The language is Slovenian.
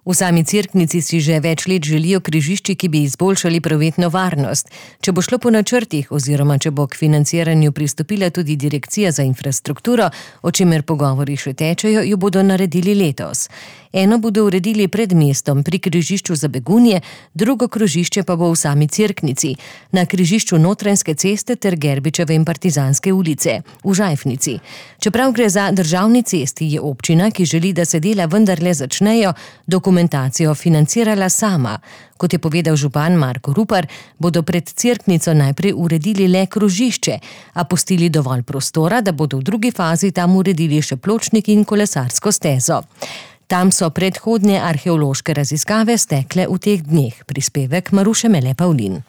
V sami Cerknici si že več let želijo križišči, ki bi izboljšali prometno varnost. Če bo šlo po načrtih oziroma če bo k financiranju pristopila tudi Direkcija za infrastrukturo, o čemer pogovori še tečejo, jo bodo naredili letos. Eno bodo uredili pred mestom pri križišču za Begunje, drugo krožišče pa bo v sami Cerknici, na križišču Notranjske ceste ter Gerbičeve in Partizanske ulice, v Žajfnici. Čeprav gre za državni cesti, je občina, ki želi, da se dela vendarle začnejo, dokumentacijo financirala sama. Kot je povedal župan Marko Rupar, bodo pred Cerknico najprej uredili le krožišče, a pustili dovolj prostora, da bodo v drugi fazi tam uredili še pločnik in kolesarsko stezo. Tam so predhodne arheološke raziskave stekle v teh dneh. Prispevek Maruše Mele Pavlin.